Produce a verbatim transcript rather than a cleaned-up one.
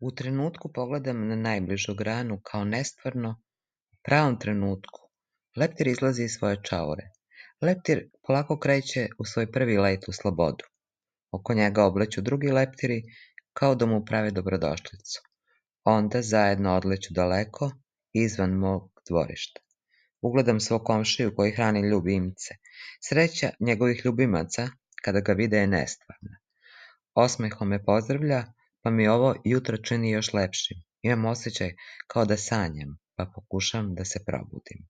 U trenutku pogledam na najbližu granu kao nestvarno, u pravom trenutku. Leptir izlazi iz svoje čaure. Leptir polako kreće u svoj prvi let u slobodu. Oko njega obleću drugi leptiri kao da mu prave dobrodošlicu. Onda zajedno odleću daleko, izvan mog dvorišta. Ugledam svog komšiju koji hrani ljubimce. Sreća njegovih ljubimaca kada ga vide je nestvarna. Osmehom me pozdravlja, pa mi ovo jutro čini još lepšim. Imam osjećaj kao da sanjam, pa pokušam da se probudim.